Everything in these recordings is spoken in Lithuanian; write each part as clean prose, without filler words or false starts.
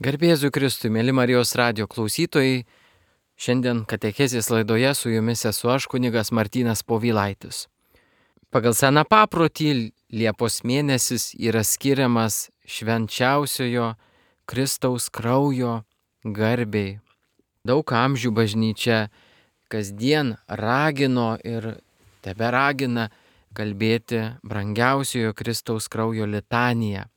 Garbė Jėzui Kristui, mėly Marijos radijo klausytojai, šiandien katechezės laidoje su jumis esu aš, kunigas Martynas Povilaitis. Pagal seną paprotį Liepos mėnesis yra skiriamas švenčiausiojo Kristaus kraujo garbei. Daug amžių bažnyčia kasdien ragino ir teberagina kalbėti brangiausiojo Kristaus kraujo litaniją.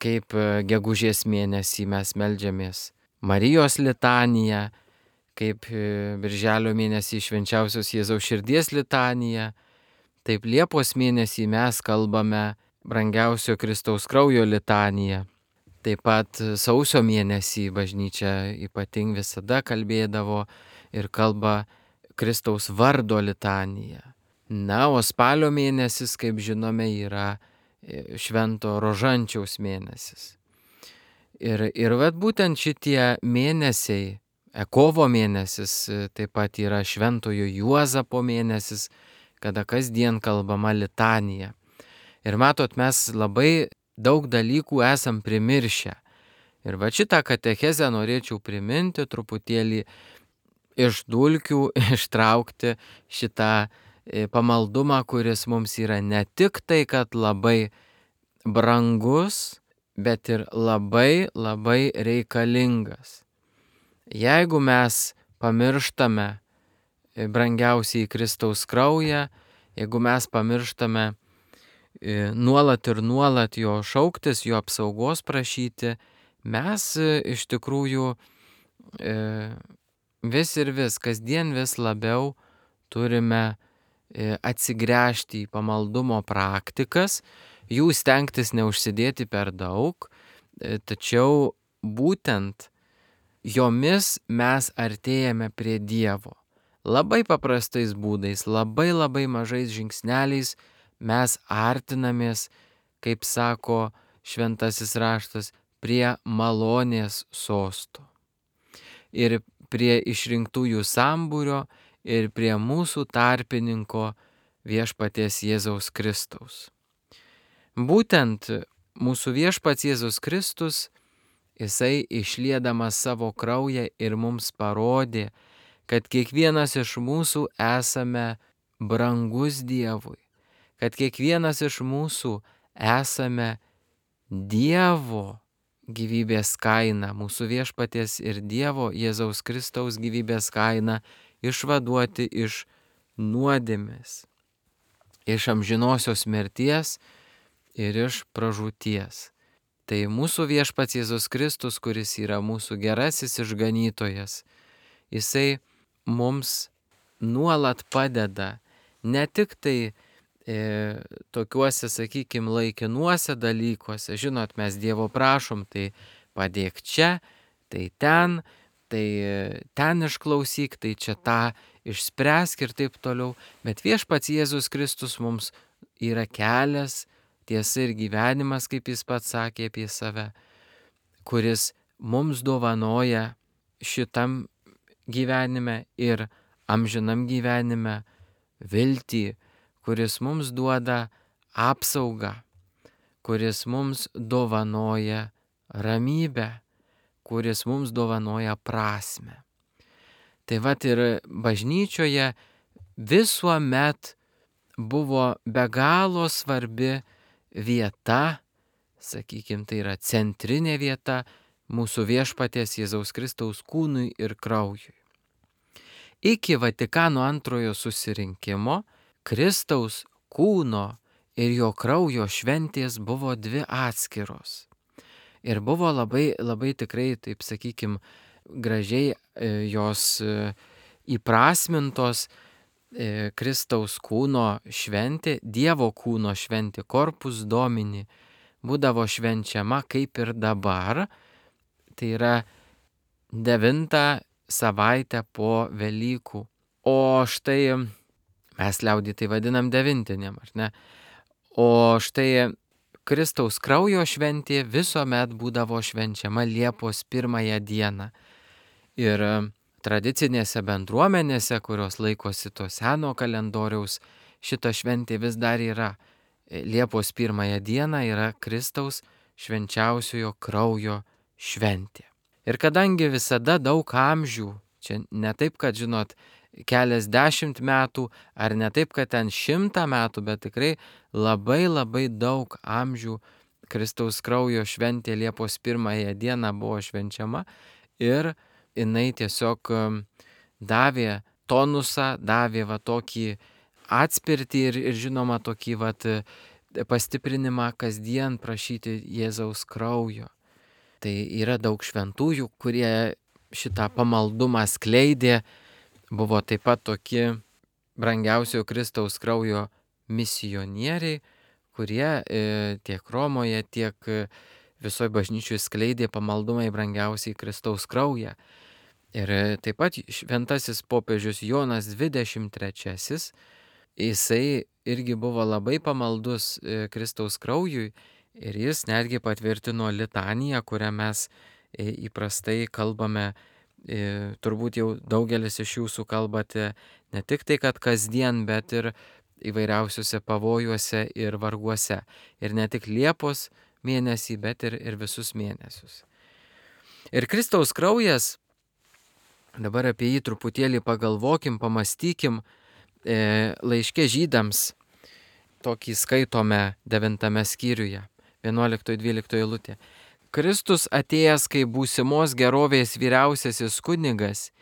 Kaip gegužės mėnesį mes meldžiamės Marijos litaniją, kaip birželio mėnesį švenčiausios Jėzaus širdies litaniją, taip Liepos mėnesį mes kalbame brangiausio Kristaus kraujo litaniją. Taip pat sausio mėnesį bažnyčia ypatingai visada kalbėdavo ir kalba Kristaus vardo litaniją. Na, o spalio mėnesis, kaip žinome, yra Švento Rožančiaus mėnesis. Ir vat būtent šitie mėnesiai, kovo mėnesis, taip pat yra Šventojo Juozapo mėnesis, kada kasdien kalbama litanija. Ir matot, mes labai daug dalykų esam primiršę. Ir va šitą katechezę norėčiau priminti, truputėlį iš dulkių ištraukti šitą pamaldumą, kuris mums yra ne tik tai, kad labai brangus, bet ir labai reikalingas. Jeigu mes pamirštame brangiausiai Kristaus kraują, jeigu mes pamirštame nuolat jo šauktis, jo apsaugos prašyti, mes iš tikrųjų vis kasdien vis labiau turime atsigręžti į pamaldumo praktikas, jų stengtis neužsidėti per daug, tačiau būtent jomis mes artėjame prie Dievo. Labai paprastais būdais, labai mažais žingsneliais mes artinamės, kaip sako šventasis raštas, prie malonės sosto. Ir prie išrinktųjų sambūrio, ir prie mūsų tarpininko viešpaties Jėzaus Kristaus. Būtent mūsų viešpats Jėzus Kristus, jisai išliedamas savo kraują ir mums parodė, kad kiekvienas iš mūsų esame brangus Dievui, kad kiekvienas iš mūsų esame Dievo gyvybės kaina, mūsų viešpaties ir Dievo Jėzaus Kristaus gyvybės kaina išvaduoti iš nuodėmės, iš amžinosios mirties ir iš pražūties. Tai mūsų viešpats Jėzus Kristus, kuris yra mūsų gerasis išganytojas, jisai mums nuolat padeda ne tik tai tokiuose, sakykime, laikinuose dalykuose. Žinot, mes Dievo prašom, tai padėk čia, tai ten išklausyk, tai čia tą išspręsk ir taip toliau. Bet viešpats Jėzus Kristus mums yra kelias, tiesa ir gyvenimas, kaip jis pats sakė apie save, kuris mums dovanoja šitam gyvenime ir amžinam gyvenime viltį, kuris mums duoda apsaugą, kuris mums dovanoja ramybę, kuris mums dovanoja prasmę. Tai vat ir bažnyčioje visuomet buvo be galo svarbi vieta, sakykime, tai yra centrinė vieta mūsų viešpaties Jėzaus Kristaus kūnui ir kraujui. Iki Vatikano antrojo susirinkimo Kristaus kūno ir jo kraujo šventės buvo dvi atskiros. Ir buvo labai tikrai, taip sakykime, gražiai jos įprasmintos. Kristaus kūno šventė, Dievo kūno šventė, Corpus Domini, būdavo švenčiama kaip ir dabar, tai yra 9 savaitę po Velykų. O štai, mes liaudį tai vadinam devintiniam, ar ne? O štai Kristaus kraujo šventė visuomet būdavo švenčiama Liepos 1 dieną. Ir tradicinėse bendruomenėse, kurios laikosi to seno kalendoriaus, šita šventė vis dar yra. Liepos 1 dieną yra Kristaus švenčiausiojo kraujo šventė. Ir kadangi visada daug amžių, čia ne taip, kad, žinot, keliasdešimt metų, ar ne taip, kad ten 100 metų, bet tikrai labai labai daug amžių Kristaus kraujo šventė Liepos 1 dieną buvo švenčiama ir jinai tiesiog davė tonusą, davė va tokį atspirtį ir žinoma tokį va pastiprinimą kasdien prašyti Jėzaus kraujo. Tai yra daug šventųjų, kurie šitą pamaldumą skleidė, buvo taip pat tokie brangiausio Kristaus kraujo misionieriai, kurie tiek Romoje, tiek visoje bažnyčioje skleidė pamaldumą į brangiausiai Kristaus kraują. Ir taip pat šventasis popiežius Jonas 23, jisai irgi buvo labai pamaldus Kristaus kraujui ir jis netgi patvirtino litaniją, kurią mes įprastai kalbame, turbūt jau daugelis iš jūsų kalbate ne tik tai, kad kasdien, bet ir įvairiausiuose pavojuose ir varguose. Ir ne tik Liepos mėnesį, bet ir visus mėnesius. Ir Kristaus kraujas, dabar apie jį truputėlį pagalvokim, pamastykim, laiške Žydams, tokį skaitome 9 skyriuje, 11-12 eilutė. Kristus atėjęs kaip būsimos gerovės vyriausiasis kunigas,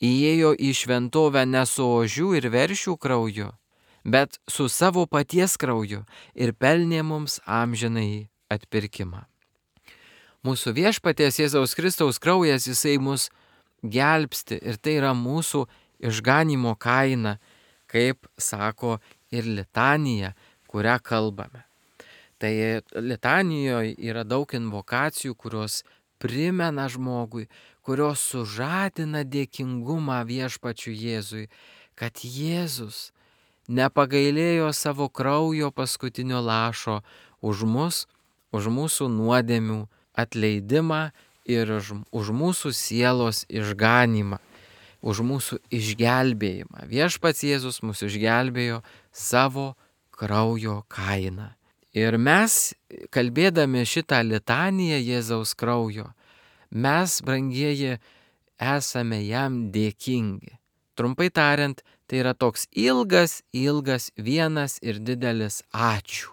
įėjo į šventovę ne su ožių ir veršių krauju, bet su savo paties krauju ir pelnė mums amžinąjį atpirkimą. Mūsų viešpaties Jėzaus Kristaus kraujas, jisai mus gelbsti ir tai yra mūsų išganymo kaina, kaip sako ir litanija, kurią kalbame. Tai litanijoje yra daug invokacijų, kurios primena žmogui, kurios sužadina dėkingumą viešpačiui Jėzui, kad Jėzus nepagailėjo savo kraujo paskutinio lašo už mus, už mūsų nuodėmių atleidimą ir už mūsų sielos išganymą, už mūsų išgelbėjimą. Viešpats Jėzus mus išgelbėjo savo kraujo kainą. Ir mes, kalbėdami šitą litaniją Jėzaus kraujo, mes, brangieji, esame jam dėkingi. Trumpai tariant, tai yra toks ilgas vienas ir didelis ačiū.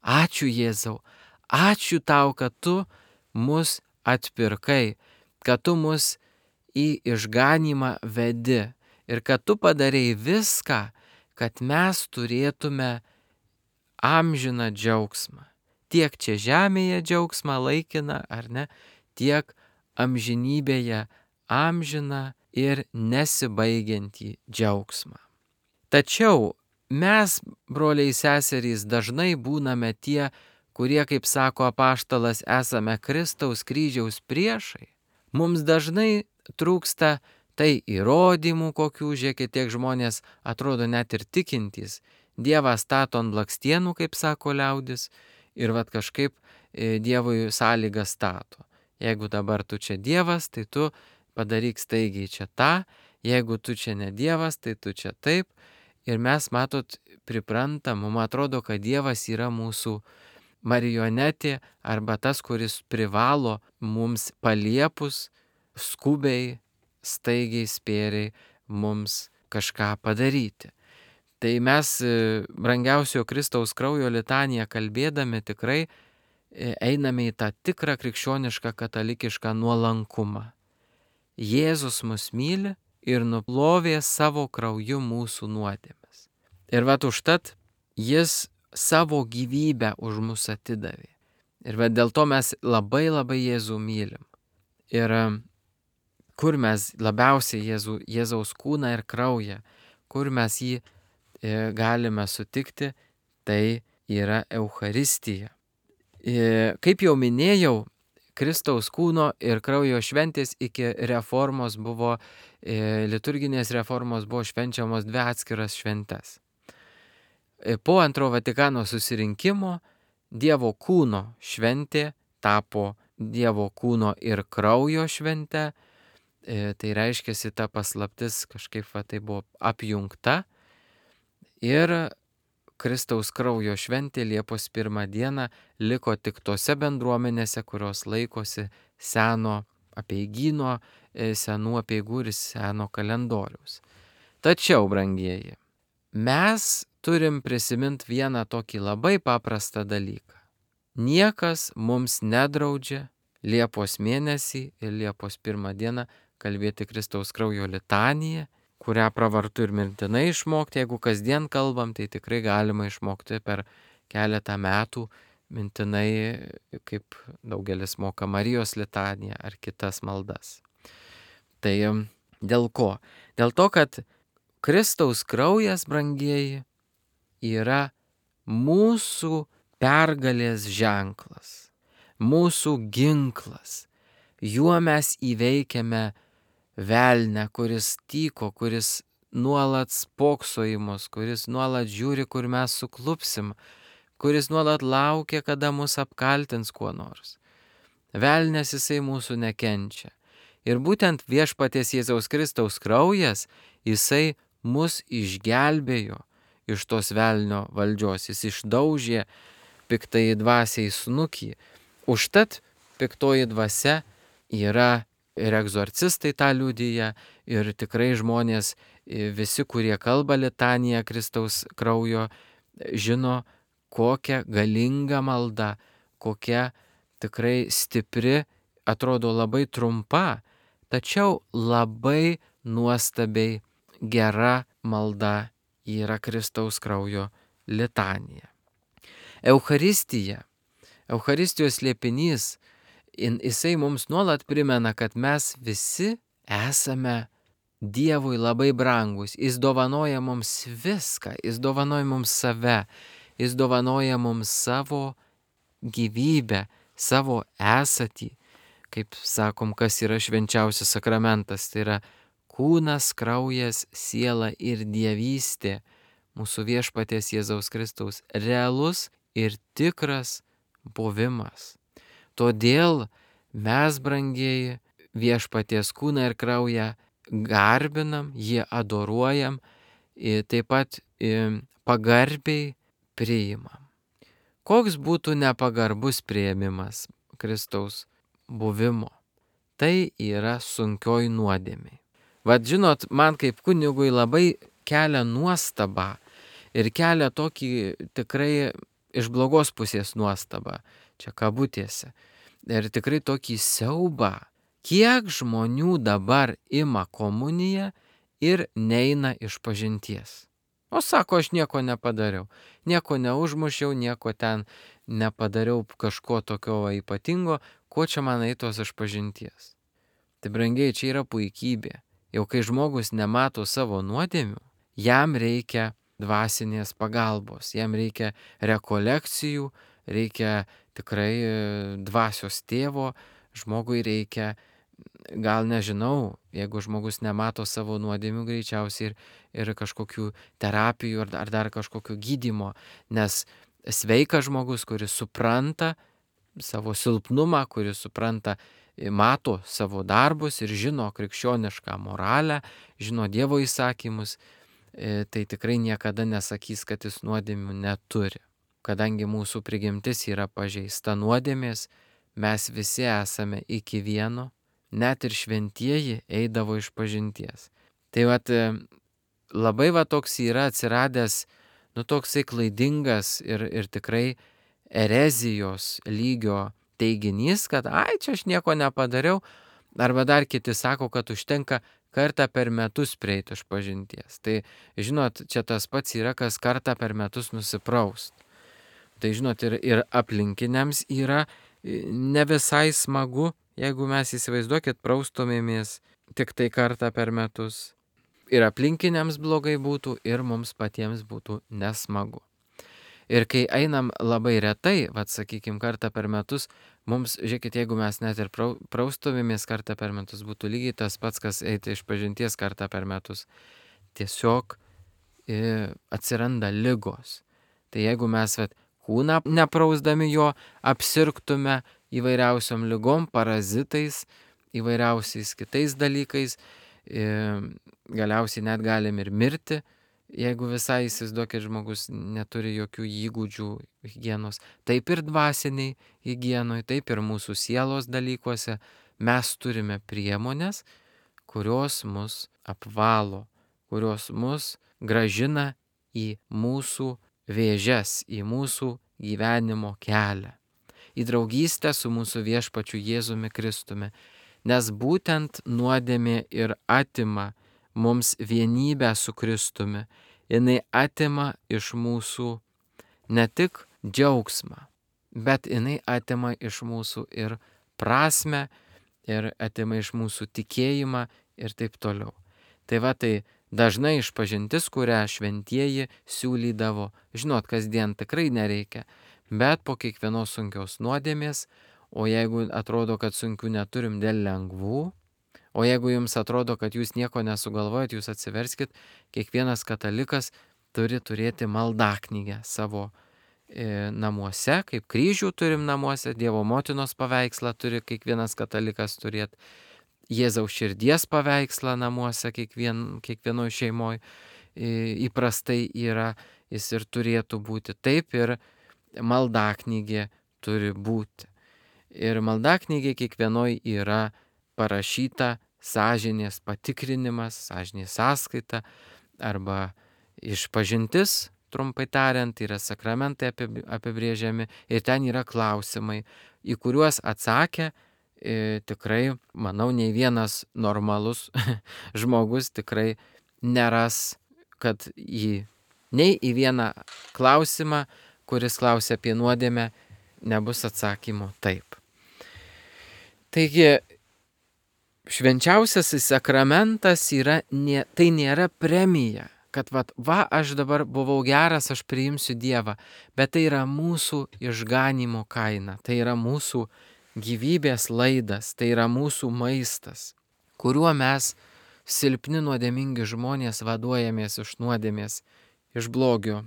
Ačiū Jėzau, ačiū tau, kad tu mus atpirkai, kad tu mus į išganymą vedi ir kad tu padarei viską, kad mes turėtume amžiną džiaugsmą. Tiek čia žemėje džiaugsmą laikiną, ar ne, tiek amžinybėje amžiną ir nesibaigiantį džiaugsmą. Tačiau mes, broliai seserys, dažnai būname tie, kurie, kaip sako apaštalas, esame Kristaus kryžiaus priešai. Mums dažnai trūksta tai įrodymų kokių, žiūrėkit, tiek žmonės atrodo net ir tikintys. Dievą stato ant blakstienų, kaip sako liaudis, ir vat kažkaip Dievui sąlygą stato. Jeigu dabar tu čia Dievas, tai tu padaryk staigiai čia tą, jeigu tu čia ne Dievas, tai tu čia taip. Ir mes, matot, priprantam, mums atrodo, kad Dievas yra mūsų marionetė arba tas, kuris privalo mums paliepus skubiai, staigiai, spėriai mums kažką padaryti. Tai mes brangiausio Kristaus kraujo litaniją kalbėdami tikrai einame į tą tikrą krikščionišką katalikišką nuolankumą. Jėzus mus myli ir nuplovė savo krauju mūsų nuodėmes. Ir vat užtat jis savo gyvybę už mus atidavė. Ir vat dėl to mes labai labai Jėzų mylim. Ir kur mes labiausiai Jėzaus kūną ir kraują, kur mes jį galime sutikti, tai yra Eucharistija. Kaip jau minėjau, Kristaus kūno ir kraujo šventės iki reformos buvo, liturginės reformos buvo švenčiamos 2 atskiras šventes. Po Antro Vatikano susirinkimo Dievo kūno šventė tapo Dievo kūno ir kraujo švente. Tai reiškiasi, ta paslaptis kažkaip tai buvo apjungta. Ir Kristaus kraujo šventė Liepos 1 dieną liko tik tose bendruomenėse, kurios laikosi seno apeigyno, senų apeigų ir seno kalendoriaus. Tačiau, brangieji, mes turim prisiminti vieną tokį labai paprastą dalyką. Niekas mums nedraudžia Liepos mėnesį ir Liepos 1 dieną kalbėti Kristaus kraujo litaniją, kurią pravartu ir mintinai išmokti. Jeigu kasdien kalbam, tai tikrai galima išmokti per keletą metų mintinai, kaip daugelis moka Marijos litaniją ar kitas maldas. Tai dėl ko? Dėl to, kad Kristaus kraujas, brangieji, yra mūsų pergalės ženklas, mūsų ginklas. Juo mes įveikiame velnę, kuris tyko, kuris nuolat spokso į mus, kuris nuolat žiūri, kur mes suklupsim, kuris nuolat laukia, kada mus apkaltins kuo nors. Velnės jisai mūsų nekenčia. Ir būtent viešpaties Jėzaus Kristaus kraujas, jisai mus išgelbėjo iš tos velnio valdžios, jis išdaužė piktai dvasiai snukį. Užtat piktoji dvasia yra ir egzorcistai tą liudyja, ir tikrai žmonės, visi, kurie kalba litaniją Kristaus kraujo, žino, kokia galinga malda, kokia tikrai stipri, atrodo labai trumpa, tačiau labai nuostabiai gera malda yra Kristaus kraujo litanija. Eucharistija, Eucharistijos slėpinys, jisai mums nuolat primena, kad mes visi esame Dievui labai brangus. Jis dovanoja mums viską, jis dovanoja mums save, jis dovanoja mums savo gyvybę, savo esatį. Kaip sakom, kas yra švenčiausias sakramentas, tai yra kūnas, kraujas, siela ir dievystė, mūsų viešpaties Jėzaus Kristaus realus ir tikras buvimas. Todėl mes, brangieji, viešpaties kūną ir kraują garbinam, jį adoruojam, taip pat pagarbiai priimam. Koks būtų nepagarbus priėmimas Kristaus buvimo? Tai yra sunkioji nuodėmė. Vat žinot, man kaip kunigui labai kelia nuostabą ir kelia tokį tikrai iš blogos pusės nuostabą, čia kabutėse, ir tikrai tokį siaubą, kiek žmonių dabar ima komuniją ir neina iš pažinties. O sako, aš nieko nepadariau, nieko neužmušiau, nieko ten nepadariau kažko tokio ypatingo, ko čia man eitos iš pažinties. Tai brangiai, čia yra puikybė. Jau kai žmogus nemato savo nuodėmių, jam reikia dvasinės pagalbos, jam reikia rekolekcijų, reikia tikrai dvasios tėvo, žmogui reikia, gal nežinau, jeigu žmogus nemato savo nuodėmių, greičiausiai ir kažkokių terapijų ar dar kažkokių gydymo, nes sveikas žmogus, kuris supranta savo silpnumą, kuris supranta, mato savo darbus ir žino krikščionišką moralę, žino Dievo įsakymus, tai tikrai niekada nesakys, kad jis nuodėmių neturi. Kadangi mūsų prigimtis yra pažeista nuodėmės, mes visi esame iki vieno, net ir šventieji eidavo iš pažinties. Tai labai toks yra atsiradęs, toksai klaidingas ir tikrai erezijos lygio teiginys, kad čia aš nieko nepadariau, arba dar kiti sako, kad užtenka kartą per metus prieiti iš pažinties. Tai žinot, čia tas pats yra, kas kartą per metus nusipraust. Tai žinot, ir aplinkiniams yra ne visai smagu, jeigu mes įsivaizduokit, praustumėmės tik tai kartą per metus. Ir aplinkiniams blogai būtų, ir mums patiems būtų nesmagu. Ir kai einam labai retai, sakykim, kartą per metus, mums, žiūrėkit, jeigu mes net ir praustumėmės kartą per metus, būtų lygiai tas pats, kas eiti iš pažinties kartą per metus. Tiesiog atsiranda ligos. Tai jeigu mes kūną neprausdami jo apsirgtume įvairiausiom ligom, parazitais, įvairiausiais kitais dalykais, galiausiai net galim ir mirti, Jeigu visai įsivaizduokit, žmogus neturi jokių įgūdžių higienos, taip ir dvasiniai higienoj, taip ir mūsų sielos dalykuose mes turime priemonės, kurios mus apvalo, kurios mus gražina į mūsų vėžes, į mūsų gyvenimo kelią, į draugystę su mūsų viešpačiu Jėzumi Kristumi, nes būtent nuodėmė ir atima mums vienybę su Kristumi, jinai atima iš mūsų ne tik džiaugsmą, bet jinai atima iš mūsų ir prasmę, ir atima iš mūsų tikėjimą ir taip toliau. Tai va, tai dažnai išpažintis, kurią šventieji siūlydavo, žinot, kasdien tikrai nereikia, bet po kiekvienos sunkios nuodėmės, o jeigu atrodo, kad sunkių neturim dėl lengvų, o jeigu jums atrodo, kad jūs nieko nesugalvojat, jūs atsiverskit, kiekvienas katalikas turi turėti maldaknygę savo namuose, kaip kryžių turim namuose, Dievo motinos paveikslą turi kiekvienas katalikas turėti, Jėzaus širdies paveikslą namuose kiekvienoje šeimoje įprastai yra, jis ir turėtų būti. Taip ir maldaknygė turi būti. Ir maldaknygė kiekvienoje yra parašyta sąžinės patikrinimas, sąžinės sąskaita arba išpažintis, trumpai tariant, yra sakramentai apibrėžiami ir ten yra klausimai, į kuriuos atsakę tikrai, manau, nei vienas normalus žmogus tikrai neras, kad nei į vieną klausimą, kuris klausia apie nuodėmę, nebus atsakymo taip. Taigi, švenčiausiasis sakramentas tai nėra premija, kad aš dabar buvau geras, aš priimsiu Dievą, bet tai yra mūsų išganymo kaina, tai yra mūsų gyvybės laidas, tai yra mūsų maistas, kuriuo mes, silpni nuodėmingi žmonės, vaduojamės iš nuodėmės, iš blogio,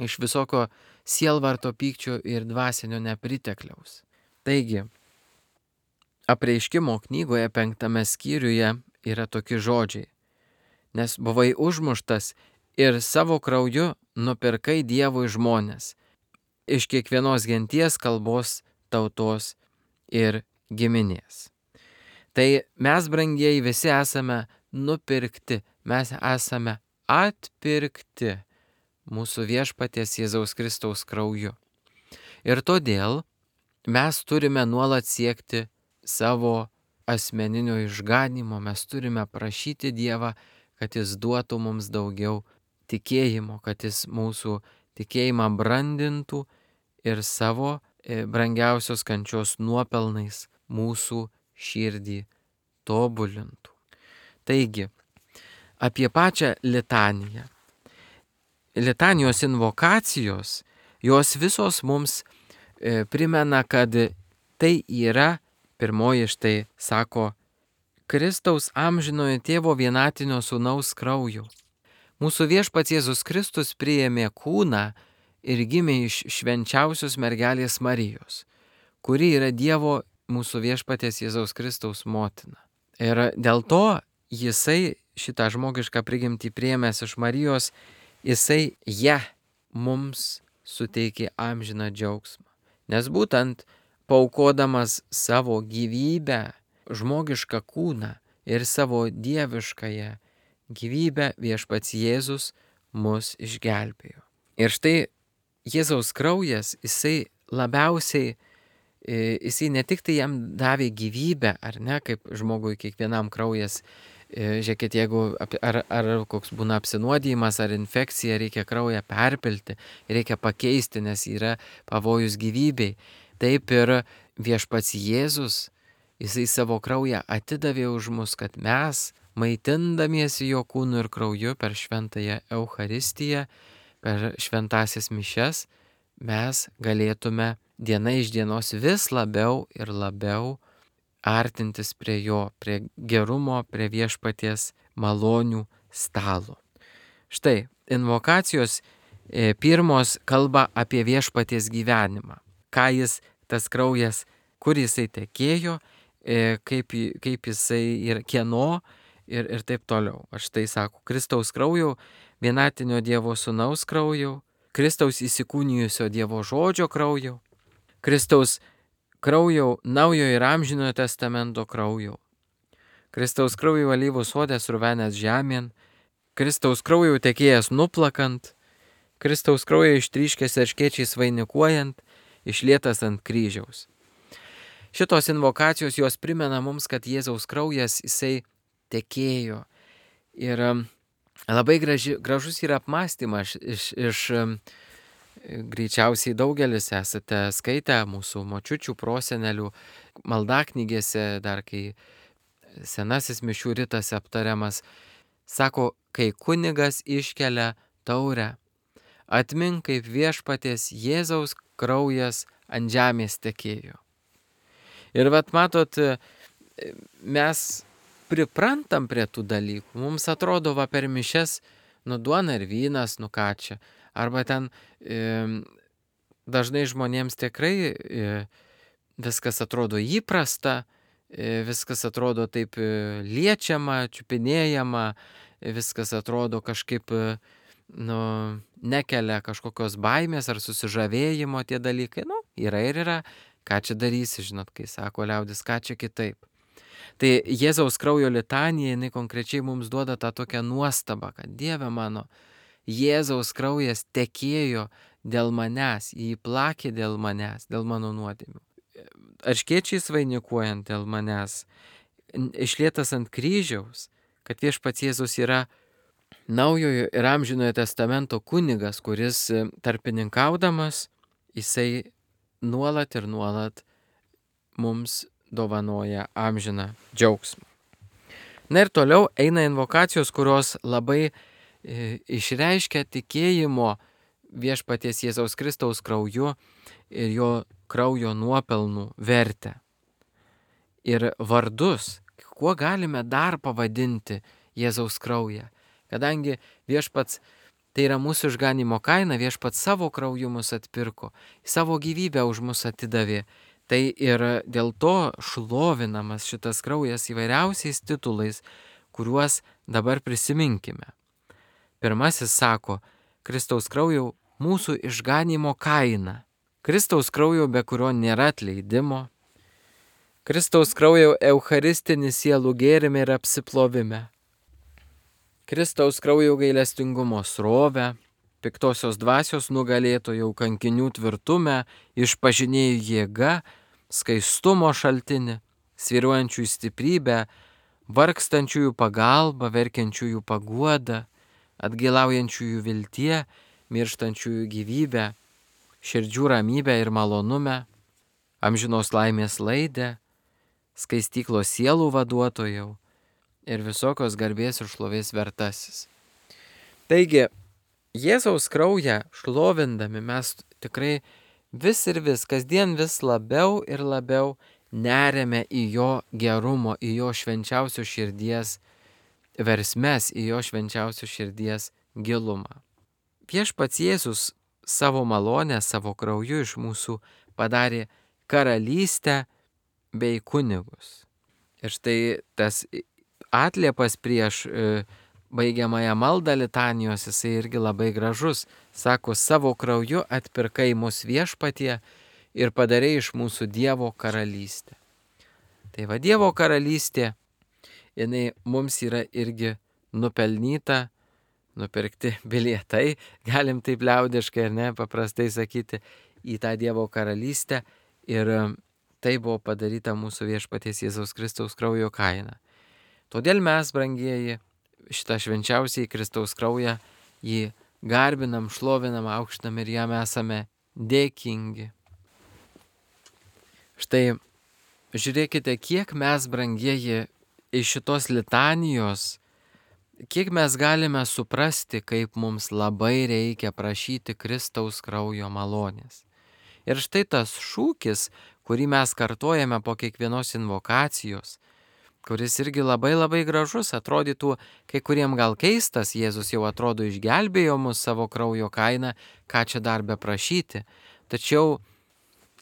iš visokio sielvarto, pykčio ir dvasinio nepritekliaus. Taigi, Apreiškimo knygoje 5 skyriuje yra tokie žodžiai: nes buvai užmuštas ir savo krauju nupirkai Dievui žmonės, iš kiekvienos genties, kalbos, tautos ir giminės. Tai mes, brangieji, visi esame nupirkti, mes esame atpirkti mūsų viešpaties Jėzaus Kristaus krauju. Ir todėl mes turime nuolat siekti savo asmeninio išganymo, mes turime prašyti Dievą, kad jis duotų mums daugiau tikėjimo, kad jis mūsų tikėjimą brandintų ir savo brangiausios kančios nuopelnais mūsų širdį tobulintų. Taigi, apie pačią litaniją. Litanijos invokacijos, jos visos mums primena, kad tai yra, pirmoji štai sako, Kristaus amžinojo tėvo vienatinio sūnaus krauju. Mūsų viešpats Jėzus Kristus priėmė kūną ir gimė iš švenčiausios mergelės Marijos, kuri yra Dievo mūsų viešpaties Jėzaus Kristaus motina. Ir dėl to jisai šitą žmogišką prigimtį priėmęs iš Marijos, jisai mums suteikė amžiną džiaugsmą. Nes būtent paaukodamas savo gyvybę, žmogišką kūną ir savo dieviškąją gyvybę, viešpats Jėzus mus išgelbėjo. Ir štai Jėzaus kraujas, jisai labiausiai, jisai ne tik tai jam davė gyvybę, ar ne, kaip žmogui kiekvienam kraujas, žiūrėkit, jeigu ar koks būna apsinuodijimas ar infekcija, reikia kraują perpilti, reikia pakeisti, nes yra pavojus gyvybei. Taip ir viešpats Jėzus, jisai savo kraują atidavė už mus, kad mes, maitindamiesi jo kūnu ir krauju per šventąją Eucharistiją, per šventąsias mišias, mes galėtume diena iš dienos vis labiau ir labiau artintis prie jo, prie gerumo, prie viešpaties malonių stalo. Štai, invokacijos pirmos kalba apie viešpaties gyvenimą. Ką jis, tas kraujas, kur jisai tekėjo, kaip jisai ir kieno ir taip toliau. Aš tai sako, Kristaus krauju vienatinio Dievo Sūnaus krauju, Kristaus įsikūnijusio Dievo žodžio krauju, Kristaus krauju naujojo ir amžinojo testamento krauju, Kristaus krauju alyvų sode survenęs žemėn, Kristaus krauju tekėjęs nuplakant, Kristaus krauju ištryškęs erškėčiais vainikuojant, išlietas ant kryžiaus. Šitos invokacijos jos primena mums, kad Jėzaus kraujas jisai tekėjo. Ir labai gražus yra apmąstymas greičiausiai daugelis esate skaitę mūsų močiučių, prosenelių maldaknygėse, dar kai senasis mišių ritas aptariamas, sako, kai kunigas iškelia taurę, atmink kaip viešpaties Jėzaus kraujas ant žemės tekėjo. Ir vat matot, mes priprantam prie tų dalykų. Mums atrodo, va per mišias, duona ir vynas, ką čia. Arba ten dažnai žmonėms tikrai viskas atrodo įprasta, viskas atrodo taip liečiama, čiupinėjama, viskas atrodo kažkaip nekelia kažkokios baimės ar susižavėjimo tie dalykai. Yra ir yra. Ką čia darysi, žinot, kai sako liaudis, ką čia kitaip. Tai Jėzaus kraujo litanija, jinai konkrečiai mums duoda tą tokią nuostabą, kad Dieve mano, Jėzaus kraujas tekėjo dėl manęs, jį plakė dėl manęs, dėl mano nuodėmių. Erškėčiais vainikuojant dėl manęs, išlietas ant kryžiaus, kad viešpats Jėzus yra naujojo ir amžinojo testamento kunigas, kuris tarpininkaudamas, jisai nuolat ir nuolat mums dovanoja amžiną džiaugsmą. Na ir toliau eina invokacijos, kurios labai išreiškia tikėjimo viešpaties Jėzaus Kristaus krauju ir jo kraujo nuopelnų vertę. Ir vardus, kuo galime dar pavadinti Jėzaus kraują, kadangi viešpats tai yra mūsų išganimo kaina, viešpats savo krauju mus atpirko, savo gyvybę už mus atidavė. Tai ir dėl to šlovinamas šitas kraujas įvairiausiais titulais, kuriuos dabar prisiminkime. Pirmasis sako, Kristaus kraujo mūsų išganimo kaina. Kristaus kraujo, be kurio nėra atleidimo. Kristaus kraujo eucharistinis sielų gėrime ir apsiplovime. Kristaus kraujo gailestingumo srovę, piktosios dvasios nugalėtojų kankinių tvirtumę, išpažinėjų jėga, skaistumo šaltinį, svyruojančiųjų stiprybę, vargstančiųjų pagalbą, verkiančiųjų paguodą, atgailaujančiųjų viltie, mirštančiųjų gyvybę, širdžių ramybę ir malonumę, amžinos laimės laidę, skaistyklos sielų vaduotojau ir visokios garbės ir šlovės vertasis. Taigi, Jėzaus kraują šlovindami mes tikrai vis ir vis, kasdien vis labiau ir labiau neriame į jo gerumo, į jo švenčiausios širdies versmes, į jo švenčiausios širdies gilumą. Viešpats Jėzus savo malonę, savo krauju iš mūsų padarė karalystę bei kunigus. Ir štai tas atliepas prieš baigiamąją maldą litanijos, jisai irgi labai gražus. Sako, savo krauju atpirkai mus viešpatie ir padarė iš mūsų Dievo karalystę. Tai va, Dievo karalystė, jinai mums yra irgi nupelnyta, nupirkti bilietai, galim taip liaudiškai ir paprastai sakyti, į tą Dievo karalystę. Ir tai buvo padaryta mūsų viešpaties Jėzaus Kristaus kraujo kaina. Todėl mes, brangieji, šitą švenčiausiai Kristaus kraują, jį garbinam, šlovinam, aukštinam ir jam esame dėkingi. Štai, žiūrėkite, kiek mes, brangieji, iš šitos litanijos, kiek mes galime suprasti, kaip mums labai reikia prašyti Kristaus kraujo malonės. Ir štai tas šūkis, kurį mes kartojame po kiekvienos invokacijos, kuris irgi labai labai gražus, atrodytų kai kuriem gal keistas, Jėzus jau atrodo išgelbėjo mus savo kraujo kainą, ką čia dar beprašyti. Tačiau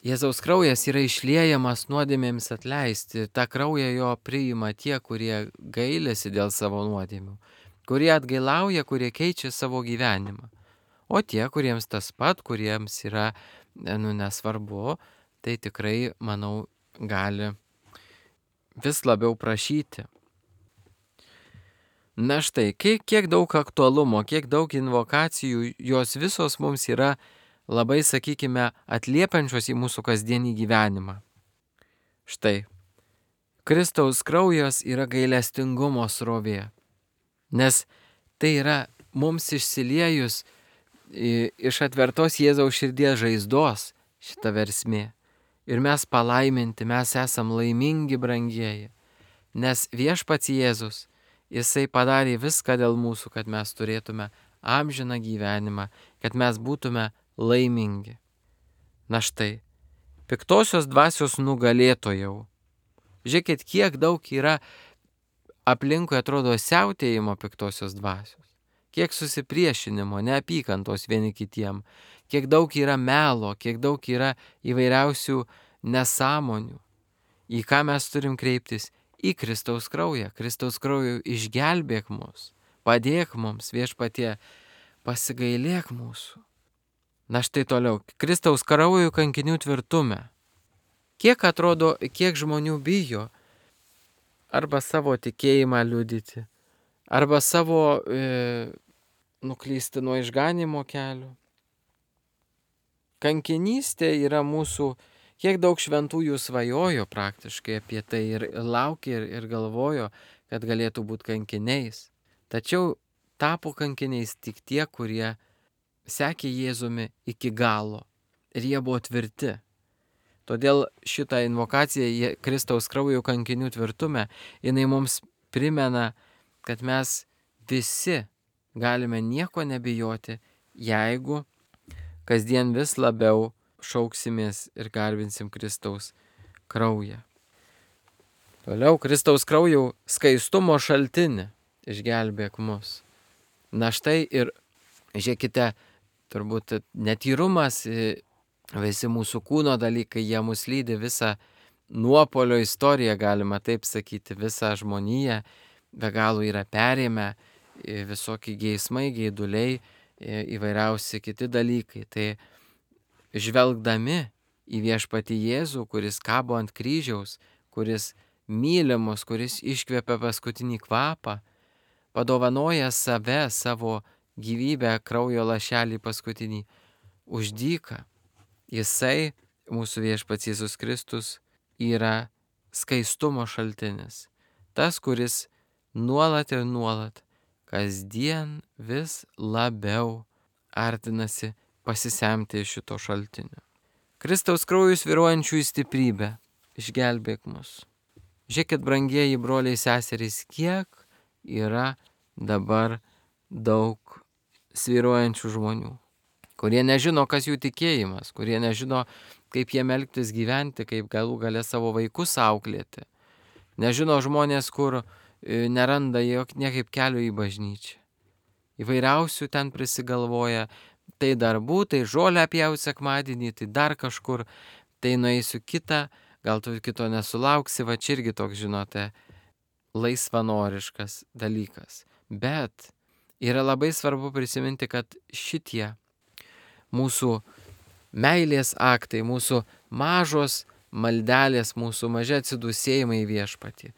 Jėzaus kraujas yra išliejamas nuodėmėms atleisti, tą kraują jo priima tie, kurie gailisi dėl savo nuodėmių. kurie atgailauja, kurie keičia savo gyvenimą. O tie, kuriems tas pat, kuriems yra nesvarbu, tai tikrai, manau, gali vis labiau prašyti. Na štai, kiek daug aktualumo, kiek daug invokacijų, jos visos mums yra labai, sakykime, atliepiančios į mūsų kasdienį gyvenimą. Štai, Kristaus kraujas yra gailestingumo srovė, nes tai yra mums išsiliejus iš atvertos Jėzaus širdies žaizdos šita versmė. Ir mes palaiminti, mes esam laimingi, brangieji, nes viešpats Jėzus, Jisai padarė viską dėl mūsų, kad mes turėtume amžiną gyvenimą, kad mes būtume laimingi. Na štai, piktosios dvasios nugalėtojau. Žiūrėkit, kiek daug yra aplinkui atrodo siautėjimo piktosios dvasios. Kiek susipriešinimo, neapykantos vieni kitiem, kiek daug yra melo, kiek daug yra įvairiausių nesąmonių. Į ką mes turim kreiptis? Į Kristaus kraują. Kristaus krauju išgelbėk mus, padėk mums, viešpatie, pasigailėk mūsų. Na štai toliau, Kristaus krauju kankinių tvirtume. Kiek atrodo, kiek žmonių bijo arba savo tikėjimą liudyti, arba savo nuklysti nuo išganimo kelio. Kankinystė yra mūsų, kiek daug šventųjų svajojo praktiškai apie tai ir laukė ir galvojo, kad galėtų būti kankiniais. Tačiau tapo kankiniais tik tie, kurie sekė Jėzumi iki galo ir jie buvo tvirti. Todėl šitą invokaciją Kristaus kraujo kankinių tvirtume, jinai mums primena, kad mes visi galime nieko nebijoti, jeigu kasdien vis labiau šauksimės ir garbinsim Kristaus kraują. Toliau Kristaus kraujo skaistumo šaltinį išgelbėk mus. Na štai ir žiūrėkite, turbūt netyrumas, visi mūsų kūno dalykai, jie mus lydi visą nuopolio istoriją, galima taip sakyti, visą žmoniją, be galo yra perėmę visokie geismai, geiduliai, įvairiausi kiti dalykai. Tai žvelgdami į viešpatį Jėzų, kuris kabo ant kryžiaus, kuris mylimus, kuris iškvepia paskutinį kvapą, padovanoja save, savo gyvybę, kraujo lašelį paskutinį už dyką. Jisai, mūsų viešpats Jėzus Kristus, yra skaistumo šaltinis. Tas, kuris nuolat ir nuolat, kasdien vis labiau artinasi pasisemti iš šito šaltinio. Kristaus krauju svyruojančių į stiprybę, išgelbėk mus. Žiūrėkit, brangieji broliai seserys, kiek yra dabar daug svyruojančių žmonių, kurie nežino, kas jų tikėjimas, kurie nežino, kaip jiem elgtis gyventi, kaip galų gale savo vaikus auklėti. Nežino žmonės, kur neranda niekaip kelio į bažnyčią. Įvairiausių ten prisigalvoja, tai darbų, tai žolę pjausiu sekmadienį, tai dar kažkur, tai nueisiu kitą, gal tu kito nesulauksi, va čia irgi toks, žinote, laisvanoriškas dalykas. Bet yra labai svarbu prisiminti, kad šitie mūsų meilės aktai, mūsų mažos maldelės, mūsų maži atsidūsėjimai į viešpatį,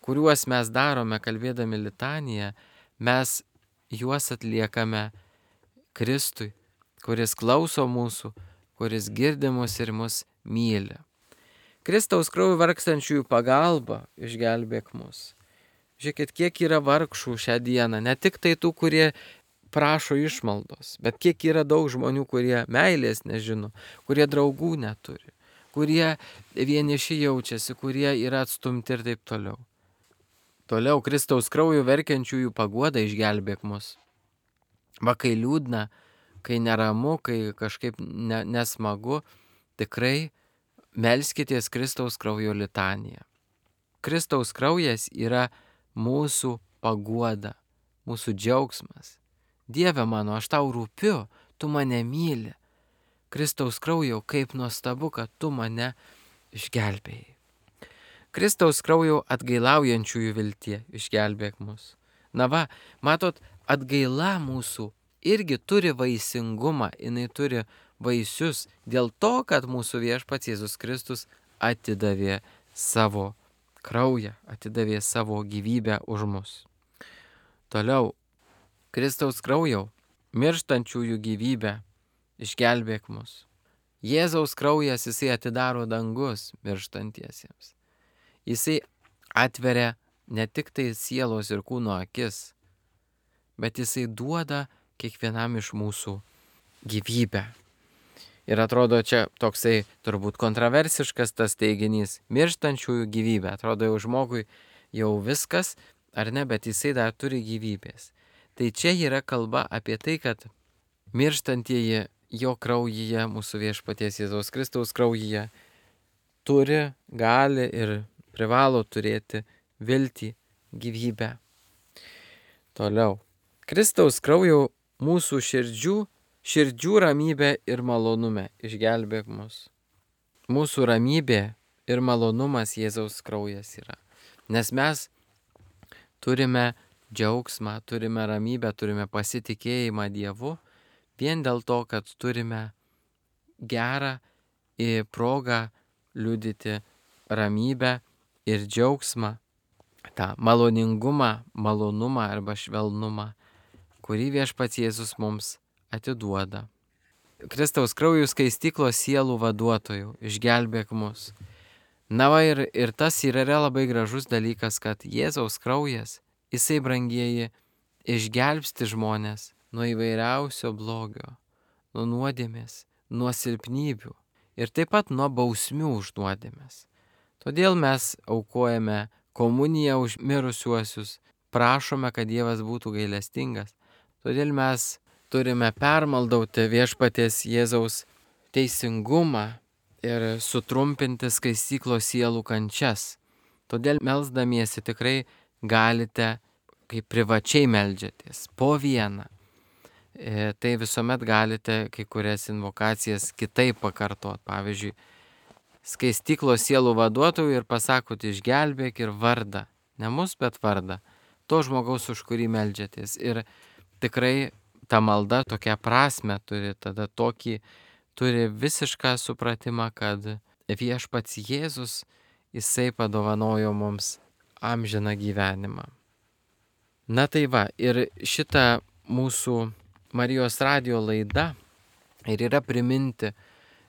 kuriuos mes darome kalbėdami litaniją, mes juos atliekame Kristui, kuris klauso mūsų, kuris girdi mus ir mus myli. Kristaus krauju vargstančiųjų pagalba išgelbėk mus. Žiūrėkit, kiek yra vargšų šią dieną, ne tik tai tų, kurie prašo išmaldos, bet kiek yra daug žmonių, kurie meilės nežino, kurie draugų neturi, kurie vieniši jaučiasi, kurie yra atstumti ir taip toliau. Toliau Kristaus krauju verkiančiųjų paguoda išgelbėk mus. Va, kai liūdna, kai neramu, kai kažkaip nesmagu, tikrai melskitės Kristaus kraujo litaniją. Kristaus kraujas yra mūsų paguoda, mūsų džiaugsmas. Dieve mano, aš tau rūpiu, tu mane myli. Kristaus kraujo, kaip nuostabu, kad tu mane išgelbėjai. Kristaus kraujo atgailaujančiųjų viltie išgelbėk mus. Na va, matot, atgaila mūsų irgi turi vaisingumą, jinai turi vaisius dėl to, kad mūsų viešpats Jėzus Kristus atidavė savo kraują, atidavė savo gyvybę už mus. Toliau, Kristaus kraujau, mirštančiųjų gyvybę, išgelbėk mus. Jėzaus kraujas, jisai atidaro dangus mirštantiesiems. Jisai atveria ne tik tai sielos ir kūno akis, bet jisai duoda kiekvienam iš mūsų gyvybę. Ir atrodo čia toksai turbūt kontroversiškas tas teiginys - mirštančiųjų gyvybė. Atrodo jau žmogui jau viskas, ar ne, bet jisai dar turi gyvybės. Tai čia yra kalba apie tai, kad mirštantieji jo kraujyje, mūsų viešpaties Jėzaus Kristaus kraujyje, turi, gali ir privalo turėti viltį, gyvybę. Toliau. Kristaus kraujau mūsų širdžių ramybė ir malonume, išgelbėk mus. Mūsų ramybė ir malonumas Jėzaus kraujas yra. Nes mes turime džiaugsmą, turime ramybę, turime pasitikėjimą Dievu, vien dėl to, kad turime gerą progą liudyti ramybę ir džiaugsmą, tą maloningumą, malonumą arba švelnumą, kurį viešpats Jėzus mums atiduoda. Kristaus kraujų skaistyklos sielų vaduotojų, išgelbėk mus. Na va ir tas yra labai gražus dalykas, kad Jėzaus kraujas, jisai brangieji, išgelbsti žmonės nuo įvairiausio blogio, nuo nuodėmės, nuo silpnybių ir taip pat nuo bausmių už nuodėmės. Todėl mes aukojame komuniją už mirusiuosius, prašome, kad Dievas būtų gailestingas. Todėl mes turime permaldauti viešpaties Jėzaus teisingumą ir sutrumpinti skaistyklos sielų kančias. Todėl melsdamiesi tikrai galite, kai privačiai meldžiatės, po vieną. Tai visuomet galite kai kurias invokacijas kitaip pakartot. Pavyzdžiui, skaistyklos sielų vaduotojų ir pasakot išgelbėk ir vardą. Ne mus, bet vardą. To žmogaus, už kurį meldžiatės. Ir tikrai ta malda tokią prasme turi, tada turi visišką supratimą, kad viešpats Jėzus, jisai padovanojo mums amžiną gyvenimą. Na tai va, ir šitą mūsų Marijos radijo laida ir yra priminti,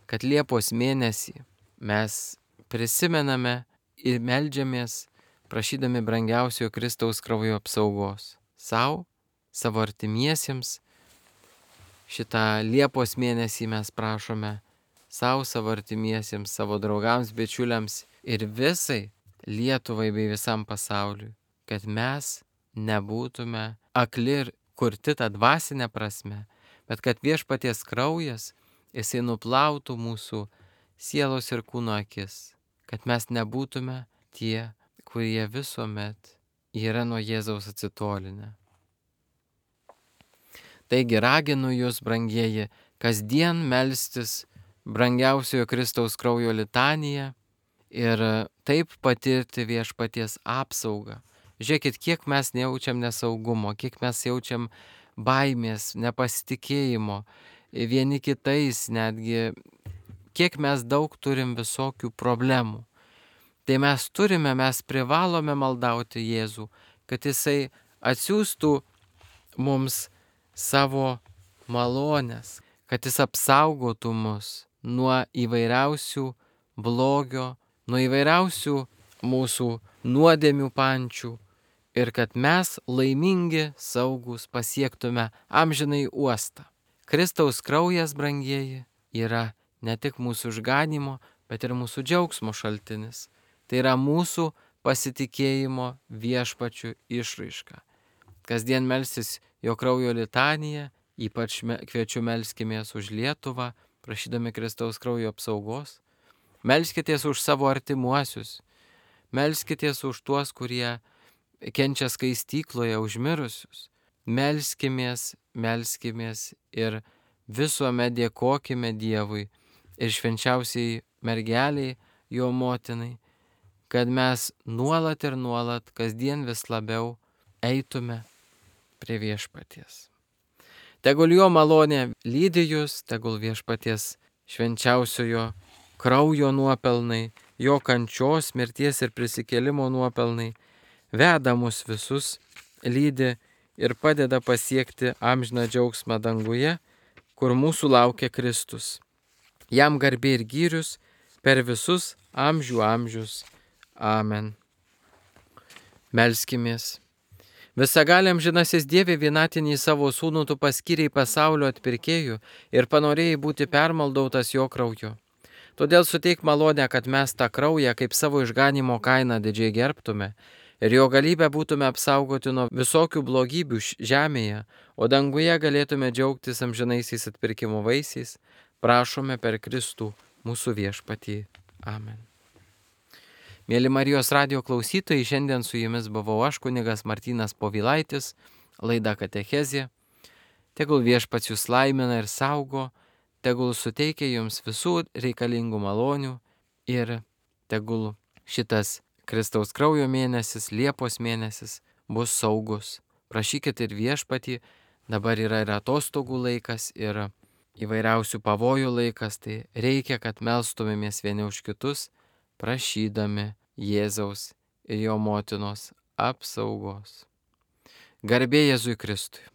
kad Liepos mėnesį mes prisimename ir meldžiamės, prašydami brangiausiojo Kristaus kraujo apsaugos sau, savo artimiesiems. Šitą Liepos mėnesį mes prašome sau, savo artimiesiems, savo draugams, bičiuliams ir visai Lietuvai bei visam pasauliui, kad mes nebūtume akli ir kurti tą dvasinę prasme, bet kad viešpaties kraujas, jisai nuplautų mūsų sielos ir kūno akis, kad mes nebūtume tie, kurie visuomet yra nuo Jėzaus atsitolinę. Taigi raginu jūs, brangieji, kasdien melstis brangiausiojo Kristaus kraujo litaniją ir taip patirti viešpaties apsaugą. Žiūrėkit, kiek mes nejaučiam nesaugumo, kiek mes jaučiam baimės, nepasitikėjimo, vieni kitais netgi, kiek mes daug turim visokių problemų. Tai mes privalome maldauti Jėzų, kad jisai atsiųstų mums savo malonės, kad jis apsaugotų mus nuo įvairiausių blogio, nuo įvairiausių mūsų nuodėmių pančių ir kad mes laimingi, saugus pasiektume amžinai uostą. Kristaus kraujas, brangieji, yra ne tik mūsų išganimo, bet ir mūsų džiaugsmo šaltinis. Tai yra mūsų pasitikėjimo viešpačiu išraiška. Kasdien melstis jo kraujo litaniją, ypač kviečiu melskimės už Lietuvą, prašydami Kristaus kraujo apsaugos. Melskitės už savo artimuosius, melskitės už tuos, kurie kenčia skaistykloje, už mirusius. Melskimės ir visuomet dėkokime Dievui ir švenčiausiai mergeliai, jo motinai, kad mes nuolat ir nuolat, kasdien vis labiau eitume prie viešpaties. Tegul jo malonė lydi jūs, tegul viešpaties švenčiausiojo kraujo nuopelnai, jo kančios, mirties ir prisikėlimo nuopelnai veda mus visus, lydi ir padeda pasiekti amžiną džiaugsmą danguje, kur mūsų laukia Kristus. Jam garbė ir gyrius per visus amžių amžius. Amen. Melskimės. Visagaliam žinasis Dieve, vienatinį savo sūnų tu paskyrei pasaulio atpirkėjų ir panorėjai būti permaldautas jo krauju. Todėl suteik malonę, kad mes tą kraują kaip savo išganimo kainą didžiai gerbtume ir jo galybę būtume apsaugoti nuo visokių blogybių žemėje, o danguje galėtume džiaugtis amžinaisiais atpirkimo vaisiais. Prašome per Kristų mūsų viešpatį. Amen. Mėly Marijos radijo klausytojai, šiandien su jumis buvau aš, kunigas Martynas Povilaitis, laida Katechezė. Tegul viešpats jūs laimina ir saugo, tegul suteikia jums visų reikalingų malonių ir tegul šitas Kristaus kraujo mėnesis, Liepos mėnesis bus saugus. Prašykit ir viešpatį, dabar yra ir atostogų laikas, ir įvairiausių pavojų laikas, tai reikia, kad melstumėmės vieni už kitus, prašydami Jėzaus ir jo motinos apsaugos. Garbė Jėzui Kristui.